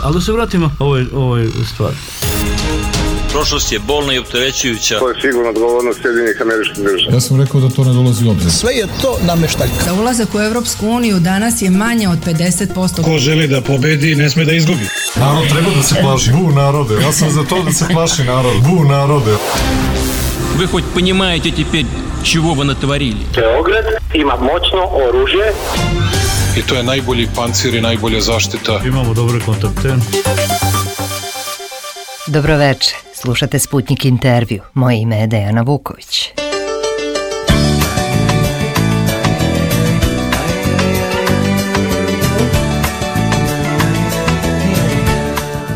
Ali da se vratimo ovoj stvari. Prošlost je bolna i opterećujuća. To je sigurno odgovornost Sjedinjenih Američkih Država. Ja sam rekao da to ne dolazi u obzir. Sve je to nameštaljka. Za ulazak u Evropsku uniju danas je manje od 50%. Ko želi da pobedi, ne sme da izgubi. Narod treba da se plaši. Bu narode. Ja sam za to da se plaši narod. Bu narode. Вы хоть понимаете теперь, чего вы натворили? Beograd ima moćno oružje. I to je najbolji pancir i najbolja zaštita. Imamo dobre kontakte. Dobroveče, slušate Sputnik intervju. Moje ime je Dejana Vuković.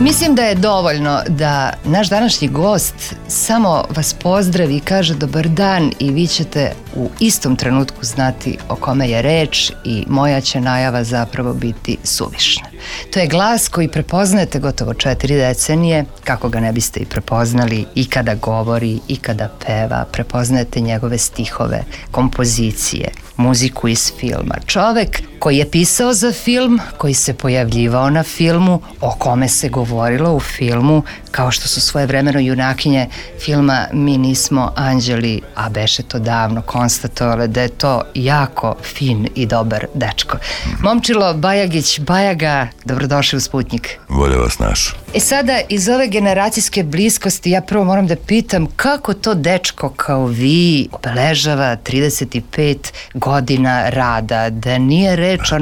Mislim da je dovoljno da naš današnji gost samo vas pozdravi i kaže dobar dan i vi ćete u istom trenutku znati o kome je reč i moja će najava zapravo biti suvišna. To je glas koji prepoznajete gotovo 4 decenije, kako ga ne biste i prepoznali i kada govori i kada peva, prepoznajete njegove stihove, kompozicije, muziku iz filma. Čovek koji je pisao za film, koji se pojavljivao na filmu, o kome se govorilo u filmu, kao što su svojevremeno junakinje filma Mi nismo anđeli, a beše to davno konstatovale da je to jako fin i dobar dečko. Momčilo Bajagić, Bajaga, dobrodošli u Sputnik. Bolje vas našao. Sada iz ove generacijske bliskosti ja prvo moram da pitam kako to dečko kao vi obeležava 35 godina rada, da nije reč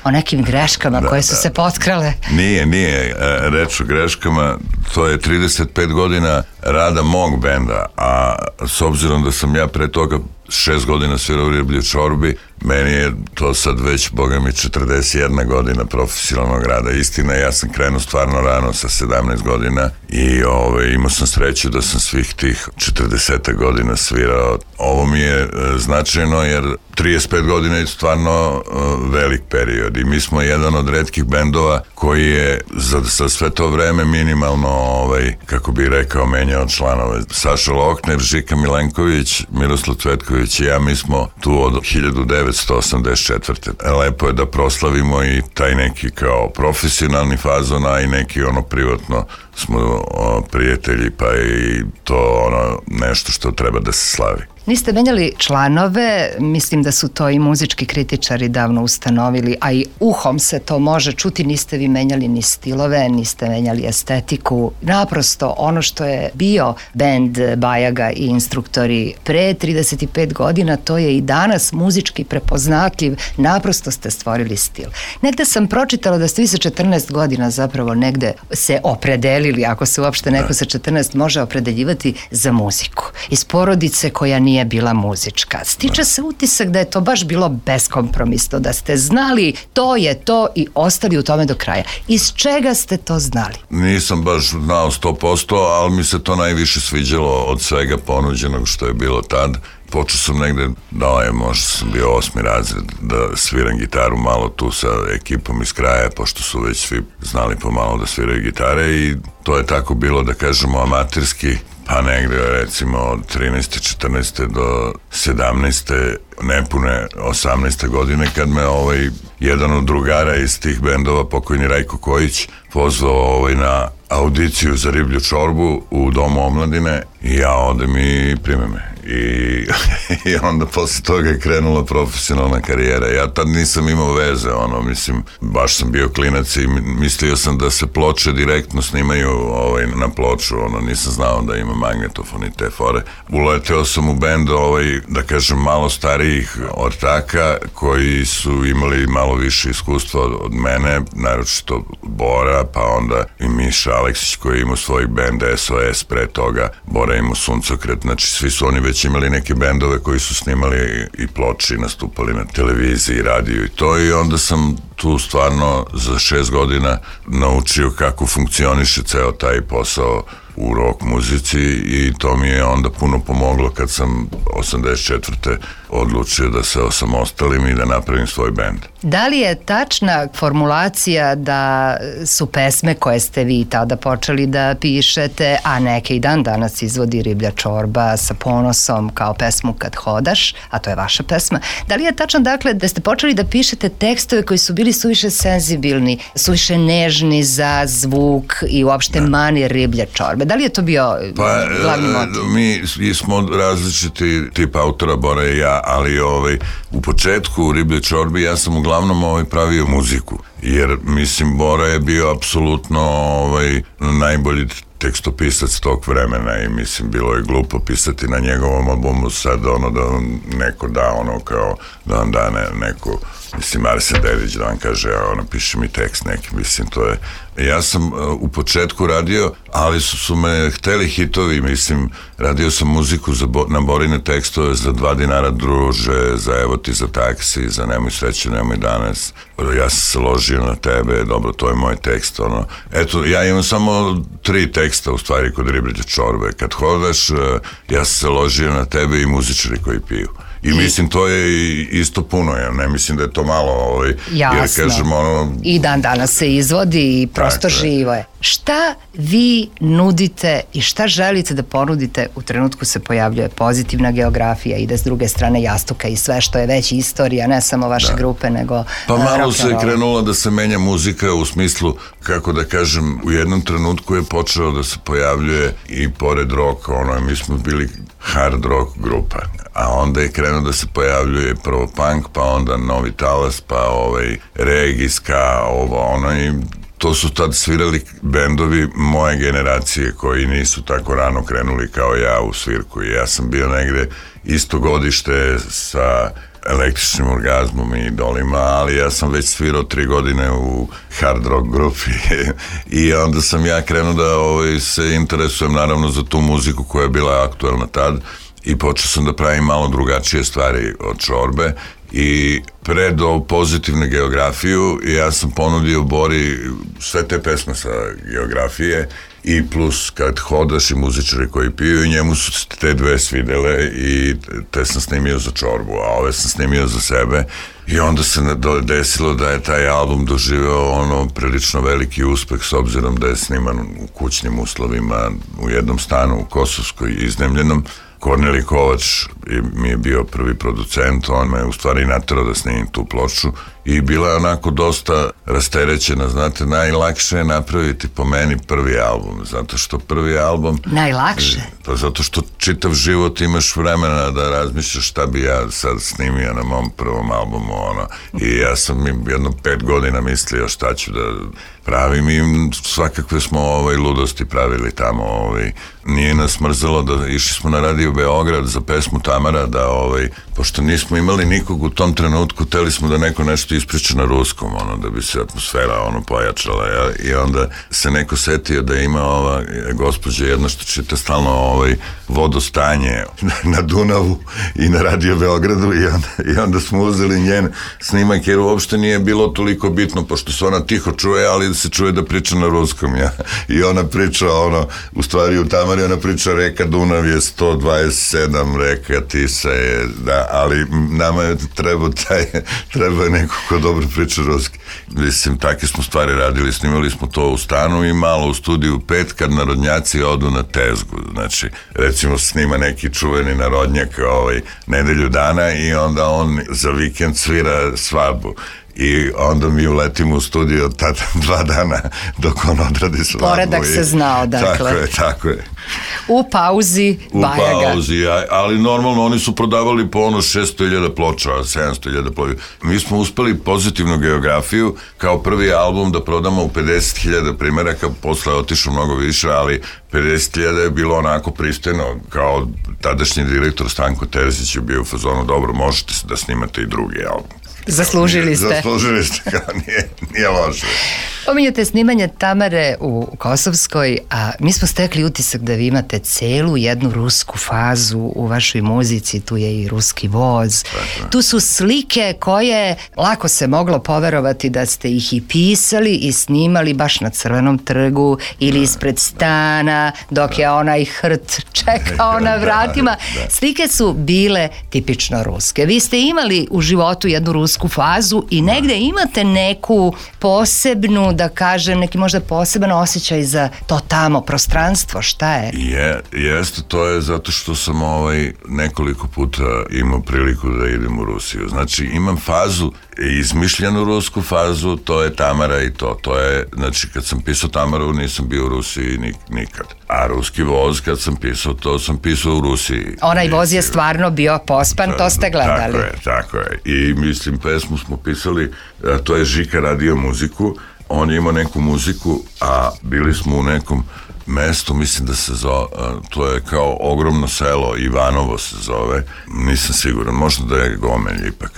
o nekim greškama koje su se potkrale. Nije reč o greškama, to je 35 godina rada mog benda, a s obzirom da sam ja pre toga 6 godina svirao u Riblji čorbi, meni je to sad već, boga mi, 41 godina profesionalnog rada. Istina, ja sam krenuo stvarno rano sa 17 godina i imao sam sreću da sam svih tih 40 godina svirao. Ovo mi je značajno jer 35 godina je stvarno velik period i mi smo jedan od retkih bendova koji je za sve to vreme minimalno, kako bi rekao, menjao članove. Saša Lohner, Žika Milenković, Miroslav Cvetković i ja, mi smo tu od 1984. Lepo je da proslavimo i taj neki kao profesionalni fazon, a i neki privatno smo prijatelji, pa i to nešto što treba da se slavi. Niste menjali članove, mislim da su to i muzički kritičari davno ustanovili, a i uhom se to može čuti, niste vi menjali ni stilove, niste menjali estetiku, naprosto ono što je bio bend Bajaga i Instruktori pre 35 godina, to je i danas muzički prepoznatljiv, naprosto ste stvorili stil. Negde sam pročitala da ste vi sa 14 godina zapravo negde se opredelili, ako se uopšte neko sa 14 može opredeljivati za muziku. Iz porodice koja nije bila muzička. Stiče se utisak da je to baš bilo beskompromisno, da ste znali to je to i ostali u tome do kraja. Iz čega ste to znali? Nisam baš znao 100%, ali mi se to najviše sviđalo od svega ponuđenog što je bilo tad. Počeo sam negde, možda sam bio 8. razred, da sviram gitaru malo tu sa ekipom iz kraja, pošto su već svi znali pomalo da sviraju gitare i to je tako bilo, da kažemo, amaterski, pa negde recimo od 13. 14. do 17. nepune 18. godine kad me jedan od drugara iz tih bendova, pokojni Rajko Kojić, pozvao na audiciju za Riblju čorbu u Domu omladine i ja odem i prime me. I onda posle toga je krenula profesionalna karijera. Ja tad nisam imao veze, mislim, baš sam bio klinac i mislio sam da se ploče direktno snimaju na ploču, nisam znao da ima magnetofon i te fore. Uleteo sam u bend, da kažem, malo starijih ortaka koji su imali malo više iskustva od mene, naročito Bora, pa onda i Miša Aleksić koji je imao svoj bend SOS pre toga, Bora imao Suncokret, znači svi su oni već imali neke bendove koji su snimali i ploče i nastupali na televiziji, radiju i to, i onda sam tu stvarno za 6 godina naučio kako funkcioniše ceo taj posao u rock muzici i to mi je onda puno pomoglo kad sam 84. odlučio da se osamostalim i da napravim svoj bend. Da li je tačna formulacija da su pesme koje ste vi tada počeli da pišete, a neke i dan danas izvodi Riblja čorba sa ponosom kao pesmu Kad hodaš, a to je vaša pesma, da li je tačno dakle da ste počeli da pišete tekstove koji su bili suviše senzibilni, suviše nežni za zvuk i uopšte manir Riblje čorbe? Da li je to bio glavni motiv? Mi smo različiti tip autora, Bora i ja, ali u početku u Riblje čorbi ja sam uglavnom pravio muziku, jer mislim Bora je bio apsolutno najbolji tekstopisac tog vremena i mislim bilo je glupo pisati na njegovom albumu sad da neko da kao da vam da neko, mislim Arsen Dedić da vam kaže napiši mi tekst neki, mislim to je. Ja sam u početku radio, ali su me hteli hitovi, mislim radio sam muziku na Borine tekstove za 2 dinara druže, za Evo ti za taksi, za Nemoj sreće, nemoj danas, ja sam se ložio na tebe, dobro to je moj tekst, eto ja imam samo 3 teksta u stvari kod Riblje čorbe, Kad hodaš, ja sam se ložio na tebe i Muzičari koji piju. I mislim to je isto puno, ja ne mislim da je to malo, jasno. Jer kažem i dan danas se izvodi i prosto živo je. Šta vi nudite i šta želite da ponudite u trenutku se pojavljuje Pozitivna geografija, ide s druge strane Jastuka i sve što je već istorija, ne samo vaše grupe, nego pa malo se krenulo da se menja muzika u smislu, kako da kažem, u jednom trenutku je počeo da se pojavljuje i pored roka, mi smo bili hard rock grupa, a onda je krenuo da se pojavljuje prvo punk, pa onda Novi talas, pa reggae, ska, i to su tad svirali bendovi moje generacije koji nisu tako rano krenuli kao ja u svirku i ja sam bio negde isto godište sa Električnim orgazmom i Idolima, ali ja sam već svirao 3 godine u hard rock grupi i onda sam ja krenuo da se interesujem naravno za tu muziku koja je bila aktuelna tad i počeo sam da pravim malo drugačije stvari od čorbe i pred Pozitivnu geografiju ja sam ponudio Bori sve te pesme sa geografije i plus Kad hodaš i Muzičari koji piju i njemu su te 2 svidele i te sam snimio za čorbu, a ove sam snimio za sebe i onda se desilo da je taj album doživeo prilično veliki uspeh s obzirom da je sniman u kućnim uslovima u jednom stanu u Kosovskoj iznajmljenom. Kornelij Kovač mi je bio prvi producent, on me u stvari naterao da snimim tu ploču i bila je onako dosta rasterećena, znate, najlakše je napraviti po meni prvi album, zato što prvi album... Najlakše? Pa zato što čitav život imaš vremena da razmišljaš šta bi ja sad snimio na mom prvom albumu, i ja sam jedno 5 godina mislio šta ću da pravim i svakakve smo ludosti pravili tamo, nije nas mrzelo da išli smo na Radio Beograd za pesmu Tamara da pošto nismo imali nikog u tom trenutku, teli smo da neko nešto ispriča na ruskom, da bi se atmosfera pojačala i onda se neko setio da ima ova gospođa jedna što čita stalno vodostanje na Dunavu i na Radio Beogradu i onda smo uzeli njen snimak jer uopšte nije bilo toliko bitno pošto se ona tiho čuje, ali se čuje da priča na ruskom i ona priča u stvari u Tamari ona priča reka Dunav je 127, reka Tisa je, da, ali nama je treba neko ko dobro priča ruski. Mislim, takve smo stvari radili, snimali smo to u stanu i malo u studiju 5 kad narodnjaci odu na tezgu, znači recimo snima neki čuveni narodnjak nedelju dana i onda on za vikend svira svadbu. I onda mi uletimo u studio tada 2 dana dok on odradi svadbu. Poredak se znao, dakle. Tako je. U pauzi Bajaga. U pauzi, ali normalno oni su prodavali po 600.000 ploča, 700.000 ploča. Mi smo uspeli Pozitivnu geografiju kao prvi album da prodamo u 50.000 primjeraka, posle je otišao mnogo više, ali 50.000 je bilo onako pristojno, kao tadašnji direktor Stanko Terzić je bio u fazonu, dobro, možete da snimate i drugi album. Zaslužili ste. Zaslužili ste, kao nije loše. Pominjate snimanje Tamare u Kosovskoj, a mi smo stekli utisak da vi imate celu jednu rusku fazu u vašoj muzici, tu je i ruski voz. Tu su slike koje lako se moglo poverovati da ste ih i pisali i snimali baš na Crvenom trgu ili ispred stana dok je onaj hrt čekao na vratima. Slike su bile tipično ruske. Vi ste imali u životu jednu rusku fazu i negde imate neku posebnu, da kažem, neki možda poseban osjećaj za to tamo prostranstvo, šta je? Jeste, to je zato što sam nekoliko puta imao priliku da idem u Rusiju. Znači, imam fazu, izmišljenu rusku fazu, to je Tamara i to je, znači, kad sam pisao Tamaru, nisam bio u Rusiji nikad. A ruski voz, kad sam pisao, to sam pisao u Rusiji. Onaj voz je stvarno bio pospan, to ste gledali. Tako je. I mislim, pesmu smo pisali, to je Žika radio muziku, on je imao neku muziku, a bili smo u nekom mestu, mislim da se zove, to je kao ogromno selo, Ivanovo se zove, nisam siguran, možda da je Gomelj ipak.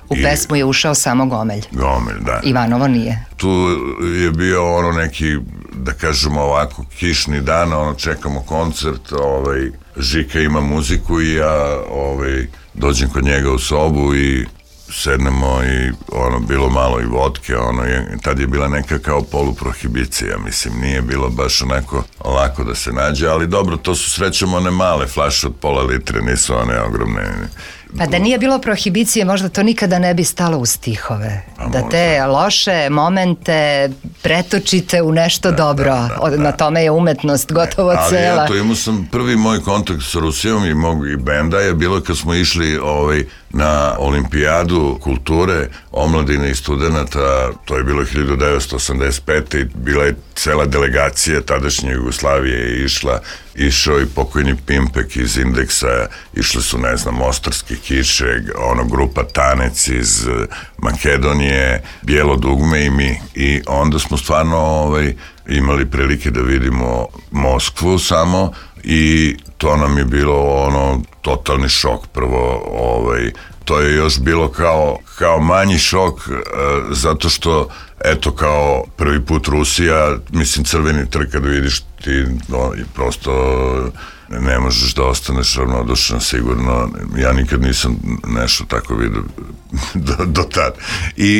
U pesmu je ušao samo Gomelj. Gomelj, da. Ivanovo nije. Tu je bio neki, da kažemo ovako, kišni dan, čekamo koncert, Žika ima muziku i ja dođem kod njega u sobu i sednemo i bilo malo i vodke, tad je bila neka kao poluprohibicija, mislim, nije bilo baš onako lako da se nađe, ali dobro, to su srećom one male flaše od pola litre, nisu one ogromne. Pa da nije bilo prohibicije, možda to nikada ne bi stalo u stihove. Da te loše momente pretočite u nešto dobro. Na tome je umetnost gotovo cela. Ali imao sam prvi moj kontakt sa Rusijom i mog benda je bilo kad smo išli na olimpijadu kulture omladine i studenta, to je bilo 1985. i bila je cela delegacija tadašnje Jugoslavije je išao i pokojni Pimpek iz Indeksa, išli su, ne znam, Mostarske kiše, grupa Tanec iz Makedonije, Bijelo dugme i mi. I onda smo stvarno imali prilike da vidimo Moskvu samo i to nam je bilo totalni šok. Prvo, to je još bilo kao manji šok, zato što, eto, kao prvi put Rusija, mislim, Crveni trg kad vidiš ti, prosto ne možeš da ostaneš ravnodušan, sigurno. Ja nikad nisam nešto tako vidio do tad.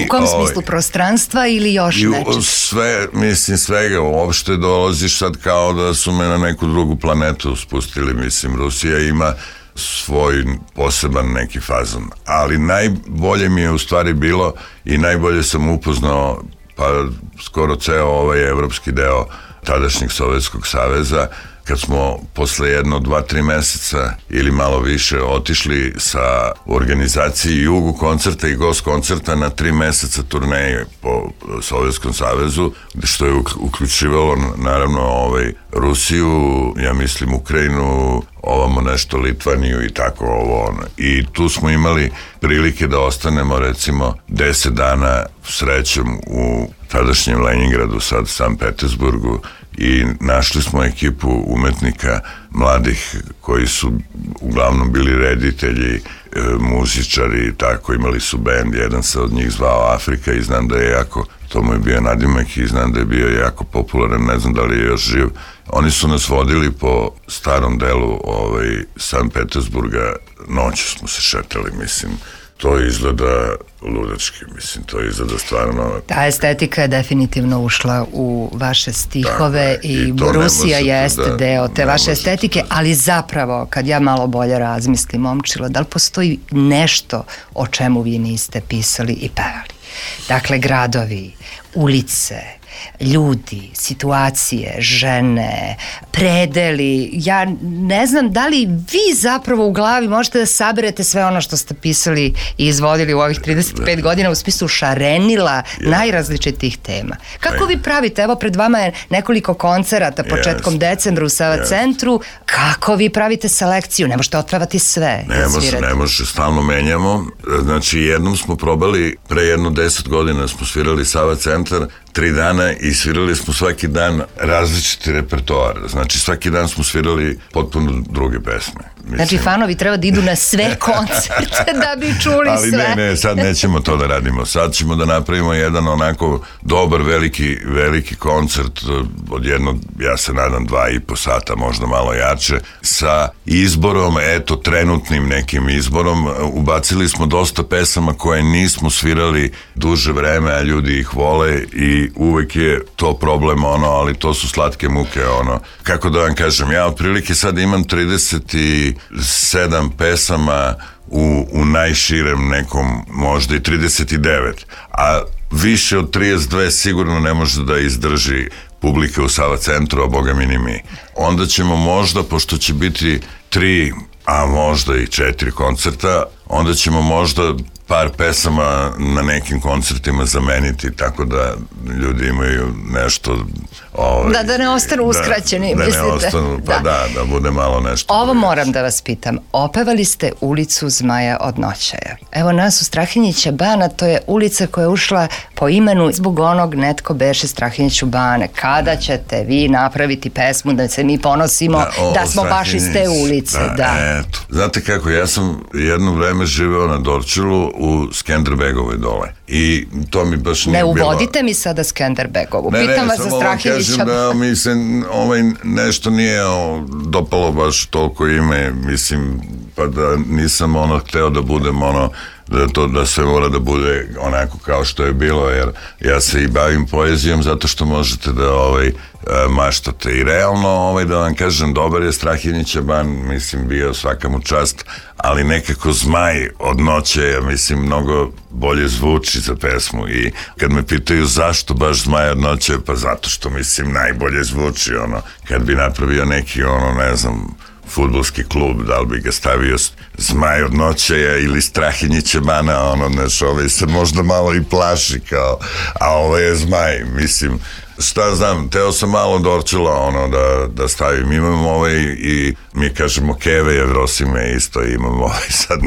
U kom smislu, prostranstva ili još nečeg? Sve, mislim, svega, uopšte dolaziš sad kao da su me na neku drugu planetu spustili, mislim, Rusija ima svoj poseban neki fazon, ali najbolje mi je u stvari bilo i najbolje sam upoznao pa skoro ceo evropski deo tadašnjeg Sovjetskog saveza, kad smo posle 2-3 meseca ili malo više otišli sa organizaciji Jugu koncerta i Gost koncerta na 3 meseca turneje po Sovjetskom savezu, što je uključivalo naravno Rusiju, ja mislim Ukrajinu, ovamo nešto Litvaniju i tako I tu smo imali prilike da ostanemo recimo 10 dana srećom u tadašnjem Leningradu, sad Sankt Petersburgu, i našli smo ekipu umetnika mladih koji su uglavnom bili reditelji, muzičari i tako, imali su bend, jedan se od njih zvao Afrika i znam da je jako, to mu je bio nadimak i znam da je bio jako popularan, ne znam da li je još živ. Oni su nas vodili po starom delu Sankt Petersburga, noću smo se šetali, mislim, to izgleda ludački, mislim, to izgleda stvarno... Ta estetika je definitivno ušla u vaše stihove i Rusija jeste deo te vaše estetike, ali zapravo, kad ja malo bolje razmislim, Momčilo, da li postoji nešto o čemu vi niste pisali i pevali? Dakle, gradovi, ulice, ljudi, situacije, žene, predeli. Ja ne znam da li vi zapravo u glavi možete da saberete sve ono što ste pisali i izvodili u ovih 35 godina u smislu šarenila najrazličitih tema. Kako vi pravite? Evo, pred vama je nekoliko koncerata početkom decembra u Sava centru. Kako vi pravite selekciju? Ne možete otpevati sve. Ne može, stalno menjamo. Znači, jednom smo probali, pre 10 godina smo svirali Sava centar, 3 dana i svirali smo svaki dan različiti repertoar. Znači, svaki dan smo svirali potpuno druge pesme. Znači, fanovi treba da idu na sve koncerte da bi čuli ali sve. Ali ne, sad nećemo to da radimo. Sad ćemo da napravimo jedan onako dobar, veliki koncert od jednog, ja se nadam, 2,5 sata, možda malo jače, sa izborom, trenutnim nekim izborom. Ubacili smo dosta pesama koje nismo svirali duže vreme, a ljudi ih vole i uvek je to problem, ali to su slatke muke, kako da vam kažem, ja otprilike sad imam 37 pesama u najširem nekom, možda i 39, a više od 32 sigurno ne može da izdrži publika u Sava centru, a boga mi ni mi. Onda ćemo možda, pošto će biti 3, a možda i 4 koncerta, onda ćemo možda par pesama na nekim koncertima zameniti, tako da ljudi imaju nešto... Da ne ostanu uskraćeni, mislite? Da ne ostanu, pa da bude malo nešto. Ovo moram da vas pitam. Opevali ste Ulicu Zmaja od Noćaja. Evo nas u Strahinjića Bana, to je ulica koja je ušla po imenu zbog onog Netko beše Strahinjiću Bane. Kada ćete vi napraviti pesmu da se mi ponosimo da smo baš iz te ulice? Eto. Znate kako, ja sam jedno vreme živeo na Dorćolu u Skenderbegovoj dole. I to mi baš nije bilo... Ne uvodite mi sada Skenderbegovu. Pitam vas za Strahinjića Bana. Da mi se nešto nije dopalo baš toliko ime, mislim, pa da nisam hteo da budem da sve mora da bude onako kao što je bilo, jer ja se i bavim poezijom zato što možete da maštate i realno, da vam kažem, dobar je Strahinjića Ban, mislim, bio svaka mu čast, ali nekako Zmaj od Noćaja, mislim, mnogo bolje zvuči za pesmu i kad me pitaju zašto baš Zmaj od Noćaja, pa zato što, mislim, najbolje zvuči, kad bi napravio neki, ne znam, fudbalski klub, da li bi ga stavio Zmaj od Noćaja ili Strahinjića Bana, se možda malo i plaši kao, a ovo je Zmaj, mislim, šta znam, teo sam malo Dorčela da stavim, imam i mi kažemo Keve Jevrosime isto, imam sad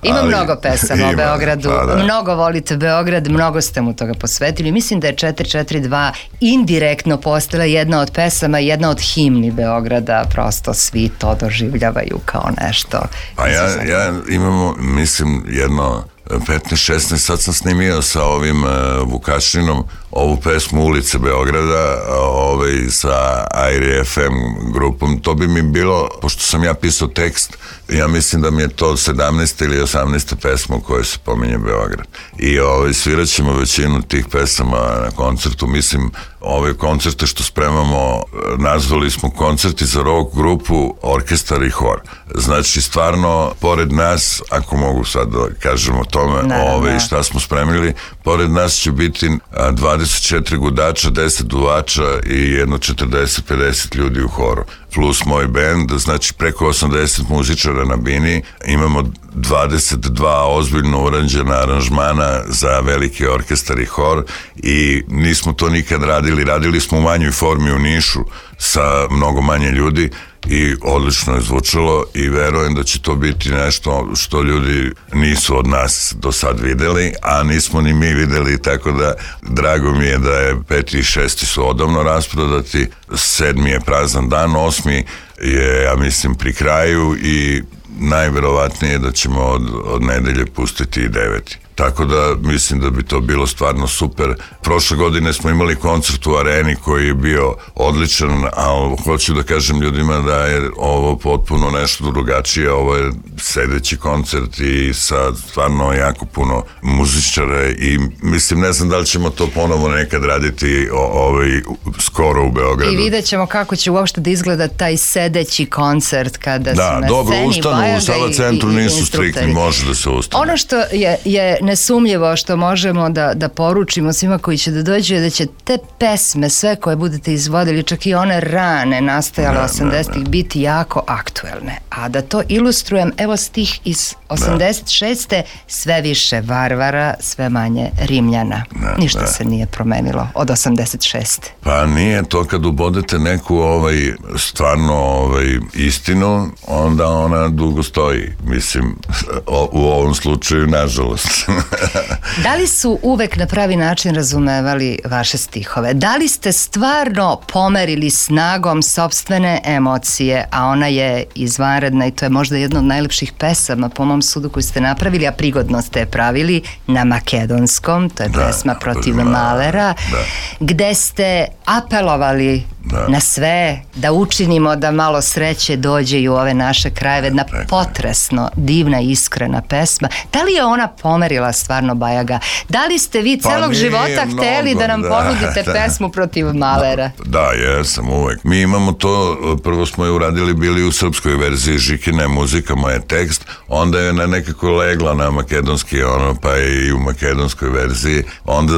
ima mnogo pesama o Beogradu, mnogo volite Beograd, mnogo ste mu toga posvetili, mislim da je 442 indirektno postala jedna od pesama, jedna od himni Beograda, prosto svi to doživljavaju kao nešto. Pa ja imamo, mislim, jedno 15-16, sad sam snimio sa ovim Vukašinom ovu pesmu Ulice Beograda sa Airi FM grupom. To bi mi bilo, pošto sam ja pisao tekst, ja mislim da mi je to 17. ili 18. pesma u kojoj se pominje Beograd. I svirat ćemo većinu tih pesama na koncertu. Mislim, ove koncerte što spremamo, nazvali smo koncerti za rock grupu, orkestar i hor. Znači, stvarno, pored nas, ako mogu sad da kažem o tome, šta smo spremili, pored nas će biti 24 gudača, 10 duvača i jedno 40-50 ljudi u horu. Plus moj bend, znači preko 80 muzičara na bini, imamo 22 ozbiljno urađena aranžmana za veliki orkestar i hor i nismo to nikad radili smo u manjoj formi u Nišu sa mnogo manje ljudi i odlično je zvučalo i verujem da će to biti nešto što ljudi nisu od nas do sad videli, a nismo ni mi videli, tako da drago mi je da je 5. i 6. su odavno rasprodati, 7. je prazan dan, 8. je, ja mislim, pri kraju i najverovatnije da ćemo od nedelje pustiti i 9. Tako da mislim da bi to bilo stvarno super. Prošle godine smo imali koncert u Areni koji je bio odličan, ali hoću da kažem ljudima da je ovo potpuno nešto drugačije. Ovo je sedeći koncert i sa stvarno jako puno muzičara i mislim, ne znam da li ćemo to ponovo nekad raditi skoro u Beogradu. I vidjet ćemo kako će uopšte da izgleda taj sedeći koncert kada su na sceni. Da, dobro, ustanu u Sava centru nisu striktni, može da se ustane. Ono što je nesumljivo što možemo da poručimo svima koji će da dođu je da će te pesme, sve koje budete izvodili, čak i one rane nastajale 80-ih, biti jako aktuelne. A da to ilustrujem, evo stih iz 86. Sve više Varvara, sve manje Rimljana. Ništa se nije promenilo od 86. Pa nije to kad ubodete neku stvarno istinu, onda ona dugo stoji. Mislim, u ovom slučaju, nažalost. Da li su uvek na pravi način razumevali vaše stihove? Da li ste stvarno pomerili snagom sopstvene emocije, a ona je izvanredna i to je možda jedna od najlepših pesama po mom sudu koju ste napravili, a prigodno ste je pravili na makedonskom, to je pesma Protiv Malera, gde ste apelovali na sve da učinimo da malo sreće dođe i u ove naše krajeve, jedna potresno divna iskrena pesma. Da li je ona pomerila stvarno Bajaga? Da li ste vi celog života hteli da nam ponudite pesmu Protiv Malera? Da, jesam uvek. Mi imamo to, prvo smo je uradili bili u srpskoj verziji, Žikina je muzika, moj je tekst, onda je nekako legla na makedonski, pa je i u makedonskoj verziji. Onda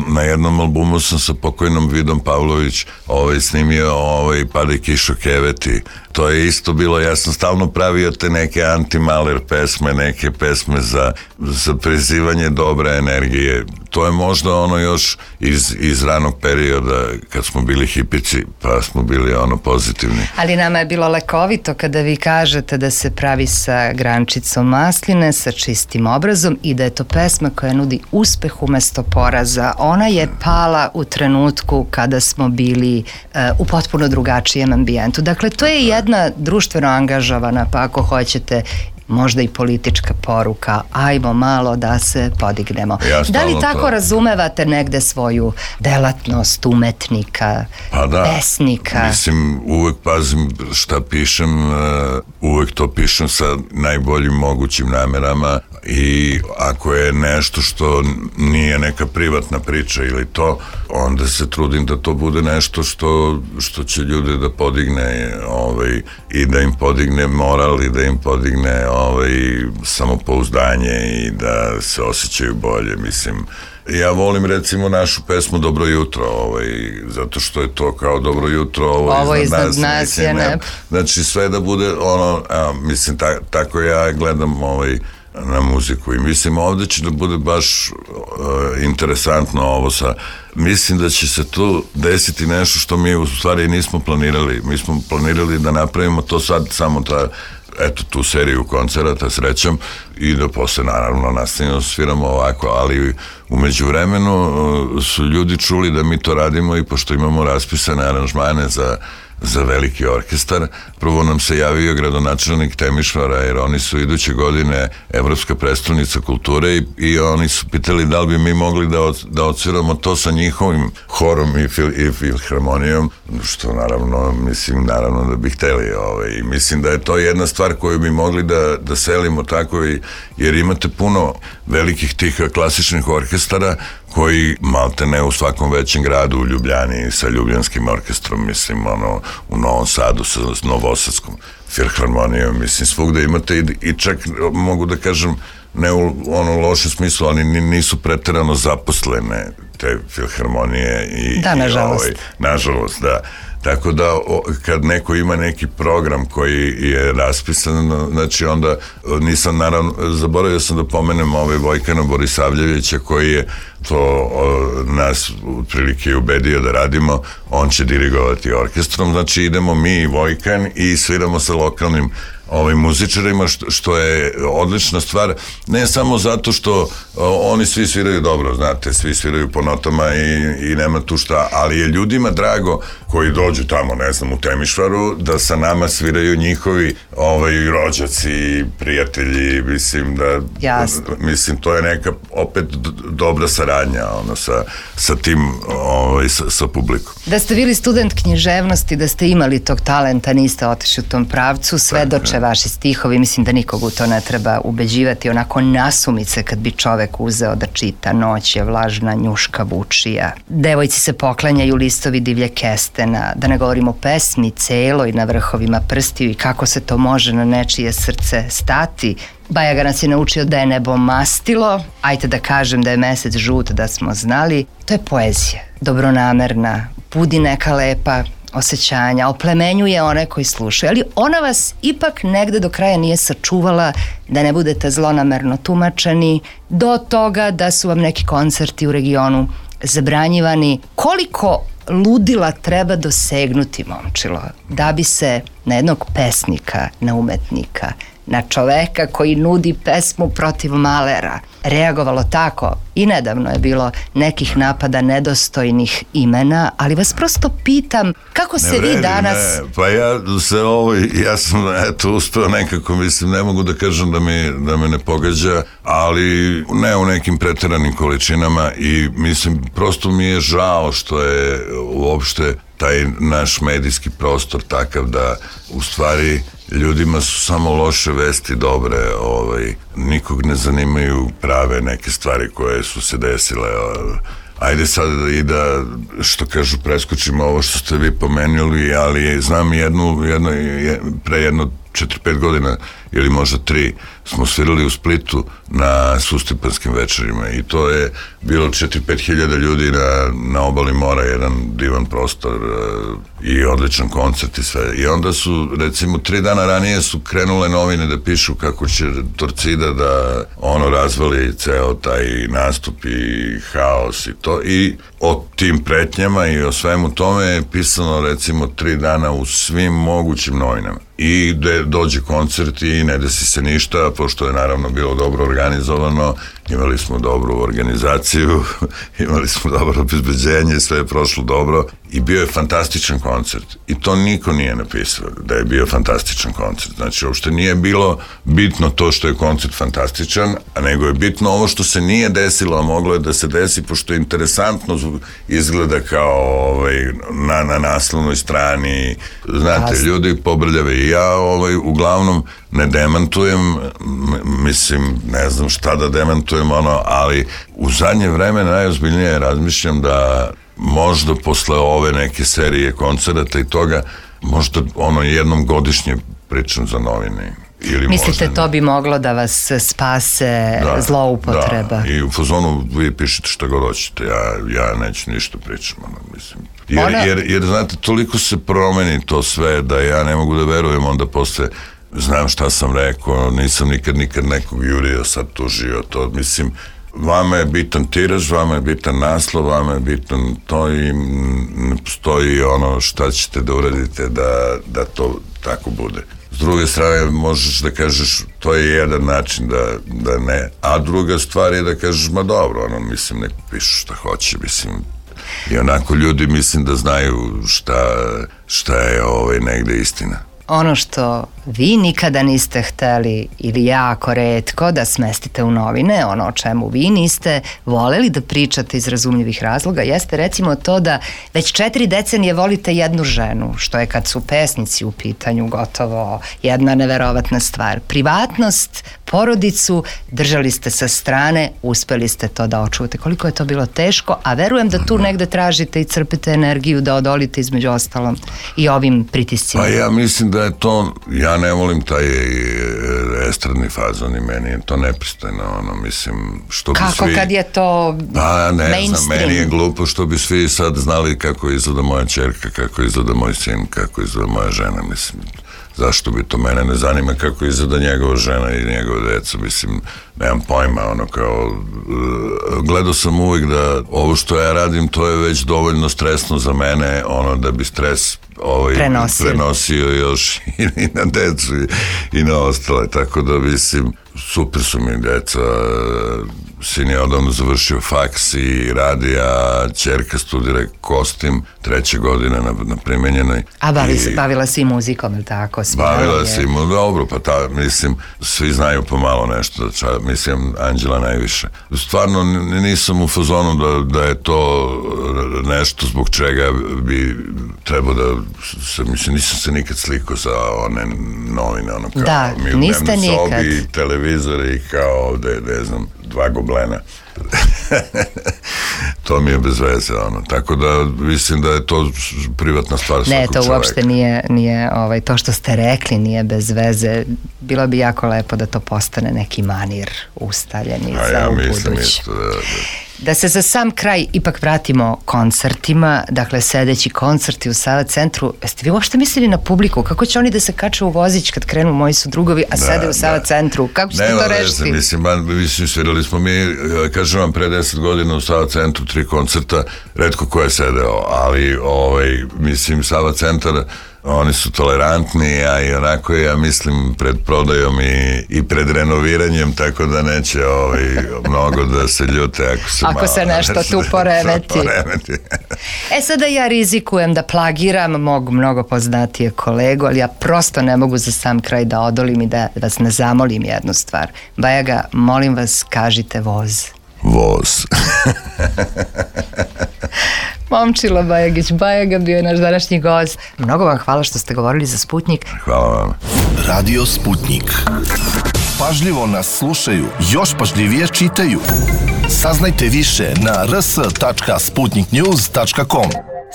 na jednom albumu sam sa pokojnom Vidom Pavlović snimio Pada i kišo keveti. To je isto bilo, ja sam stalno pravio te neke anti-Maler pesme, neke pesme za prizivanje dobre energije. To je možda još iz ranog perioda kad smo bili hipici, pa smo bili pozitivni. Ali nama je bilo lekovito kada vi kažete da se pravi sa grančicom masline, sa čistim obrazom i da je to pesma koja nudi uspeh umesto poraza. Ona je pala u trenutku kada smo bili u potpuno drugačijem ambijentu. Dakle, to je jedna društveno angažovana, pa ako hoćete možda i politička poruka, ajmo malo da se podignemo. Da li tako razumevate negde svoju delatnost umetnika, pesnika? Mislim, uvek pazim šta pišem, uvek to pišem sa najboljim mogućim namerama i ako je nešto što nije neka privatna priča ili to, onda se trudim da to bude nešto što će ljude da podigne i da im podigne moral i da im podigne samopouzdanje i da se osjećaju bolje. Mislim, ja volim recimo našu pesmu Dobro jutro, zato što je to kao dobro jutro, ovo iznad nas je ne. Znači sve da bude mislim, tako ja gledam na muziku i mislim ovde će da bude baš interesantno ovo mislim da će se tu desiti nešto što mi u stvari nismo planirali. Mi smo planirali da napravimo to sad samo tu seriju koncerata srećom i da posle naravno nastavimo sviramo ovako, ali u međuvremenu su ljudi čuli da mi to radimo i pošto imamo raspisane aranžmane za veliki orkestar. Prvo nam se javio gradonačelnik Temišvara jer oni su iduće godine Evropska prestolnica kulture i oni su pitali da li bi mi mogli da odsviramo to sa njihovim horom i filharmonijom, što naravno da bi hteli. I mislim da je to jedna stvar koju bi mogli da selimo tako jer imate puno velikih tih klasičnih orkestara koji malte ne u svakom većem gradu, u Ljubljani sa Ljubljanskim orkestrom, mislim, u Novom Sadu sa Novosadskom filharmonijom, mislim, svugde imate i čak mogu da kažem, ne u lošem smislu, ali nisu preterano zaposlene te filharmonije. Da, nažalost. Nažalost, da. Tako da kad neko ima neki program koji je raspisan, znači onda nisam naravno, zaboravio sam da pomenem Vojkana Borisavljevića koji je to nas otprilike ubedio da radimo, on će dirigovati orkestrom, znači idemo mi i Vojkan i sviramo sa lokalnim muzičarima, što je odlična stvar, ne samo zato što oni svi sviraju dobro, znate, svi sviraju po notama i nema tu šta, ali je ljudima drago koji dođu tamo, ne znam, u Temišvaru, da sa nama sviraju njihovi rođaci, prijatelji, mislim da, mislim, to je neka opet dobra saradnja, sa tim, sa publikom. Da ste bili student književnosti, da ste imali tog talenta, niste otišli u tom pravcu, svedoče vaši stihovi, mislim da nikog u to ne treba ubeđivati, onako nasumice kad bi čovek uzeo da čita Noć je vlažna, njuška vučija. Devojci se poklanjaju listovi divlje kestena, da ne govorimo o pesmi celoj na vrhovima prstiju i kako se to može na nečije srce stati. Bajaga nas je naučio da je nebo mastilo, ajte da kažem da je mesec žut, da smo znali. To je poezija, dobronamerna, budi neka lepa osjećanja, oplemenjuje one koji slušaju, ali ona vas ipak negde do kraja nije sačuvala da ne budete zlonamerno tumačeni, do toga da su vam neki koncerti u regionu zabranjivani. Koliko ludila treba dosegnuti, momčilo, da bi se na jednog pesnika, na umetnika na čoveka koji nudi pesmu protiv malera reagovalo tako. I nedavno je bilo nekih napada nedostojnih imena, ali vas prosto pitam kako se vi danas... Pa ja sam uspeo nekako, mislim, ne mogu da kažem da me ne pogađa, ali ne u nekim preteranim količinama i mislim, prosto mi je žao što je uopšte taj naš medijski prostor takav da u stvari ljudima su samo loše vesti dobre, nikog ne zanimaju prave neke stvari koje su se desile. Ajde sad i da, što kažu, preskočimo ovo što ste vi pomenuli, ali znam pre jedno 4-5 godina ili možda 3 smo svirali u Splitu na Sustipanskim večerima i to je bilo 4-5 hiljada ljudi na obali mora, jedan divan prostor i odličan koncert i sve. I onda su, recimo, 3 dana ranije su krenule novine da pišu kako će Torcida da razvali ceo taj nastup i haos i to, i o tim pretnjama i o svemu tome je pisano, recimo, 3 dana u svim mogućim novinama. I dođe koncert i ne desi se ništa, pošto je naravno bilo dobro organizovano, imali smo dobru organizaciju, imali smo dobro obezbeđenje, sve je prošlo dobro i bio je fantastičan koncert. I to niko nije napisao da je bio fantastičan koncert. Znači, uopšte nije bilo bitno to što je koncert fantastičan, a nego je bitno ovo što se nije desilo, a moglo je da se desi, pošto je interesantno izgleda kao na naslovnoj strani, znate, ljudi pobrljave. I ja uglavnom ne demantujem, mislim, ne znam šta da demantujem, ali u zadnje vreme najozbiljnije razmišljam da možda posle ove neke serije koncerata i toga, možda jednom godišnje pričam za novine. Mislite, to bi moglo da vas spase zloupotreba? Da, i u fazonu vi pišete šta god hoćete, ja neću ništa pričam, mislim. Jer, znate, toliko se promeni to sve da ja ne mogu da verujem, onda posle znam šta sam rekao, nisam nikad nekog jurio, sad tužio, to, mislim, vama je bitan tiraž, vama je bitan naslov, vama je bitan to i ne postoji šta ćete da uradite da to tako bude. S druge strane, možeš da kažeš, to je jedan način da ne, a druga stvar je da kažeš, ma dobro, mislim, nek pišu šta hoće, mislim, i onako ljudi, mislim, da znaju šta je negde istina. Ono što vi nikada niste hteli ili jako retko da smestite u novine, ono o čemu vi niste voleli da pričate iz razumljivih razloga, jeste recimo to da već 4 decenije volite jednu ženu, što je kad su pesnici u pitanju gotovo jedna neverovatna stvar. Privatnost, porodicu držali ste sa strane, uspeli ste to da očuvate. Koliko je to bilo teško, a verujem da tu negde tražite i crpite energiju da odolite između ostalom i ovim pritiscima. Pa ja mislim da je to, ja ne volim taj estradni fazon i meni je to nepristojno, mislim, što bi svi... Kako kad je to mainstream? Znam, meni je glupo što bi svi sad znali kako izgleda moja ćerka, kako izgleda moj sin, kako izgleda moja žena, mislim, zašto bi to, mene ne zanima kako izgleda njegova žena i njegova deca, mislim, nemam pojma, gledao sam uvijek da ovo što ja radim, to je već dovoljno stresno za mene, da bi stres prenosio još i na decu i na ostale, tako da, mislim, super su mi deca, sin je odavno završio faks i radi, a ćerka studira kostim, 3. godine na primenjenoj. A bavila se i muzikom, ili tako? Bavila se i muzikom, dobro, pa mislim, svi znaju pomalo nešto, mislim, Anđela najviše. Stvarno nisam u fazonu da je to nešto zbog čega bi trebao da mislim, nisam se nikad slikao za one novine, kao mi u dnevnoj sobi, televizori i kao ovde, ne znam, 2 goblena. To mi je bez veze, tako da mislim da je to privatna stvar svakog čoveka. Ne, to uopšte nije to što ste rekli nije bez veze. Bilo bi jako lepo da to postane neki manir ustaljeni za ubuduće. Da se za sam kraj ipak vratimo koncertima, dakle sledeći koncerti u Sava centru, jeste vi uopšte mislili na publiku? Kako će oni da se kače u vozić kad krenu Moji su drugovi, a sede u Sava centru? Kako ćete to rešiti? Mislim, svirali smo mi, kažem vam, pre 10 godina u Sava centru 3 koncerta, retko ko je sedeo, ali mislim, Sava centar Oni su tolerantni, a i onako ja mislim pred prodajom i pred renoviranjem, tako da neće mnogo da se ljute ako se nešto tu poremeti. Sada ja rizikujem da plagiram mog mnogo poznatijeg kolegu, ali ja prosto ne mogu za sam kraj da odolim i da vas ne zamolim jednu stvar. Bajaga, molim vas, kažite voz. Voz. Momčilo Bajagić Bajaga bio je naš današnji gost. Mnogo vam hvala što ste govorili za Sputnjik. Hvala vam. Radio Sputnjik. Pažljivo nas slušaju, još pažljivije čitaju. Saznajte više na rs.sputniknews.com.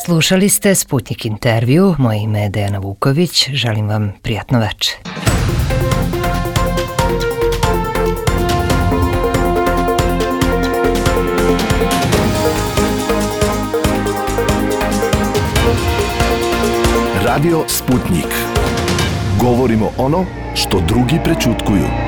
Slušali ste Sputnjik intervju. Moje ime je Dejana Vuković. Želim vam prijatno večer. Radio Sputnjik. Govorimo ono što drugi prećutkuju.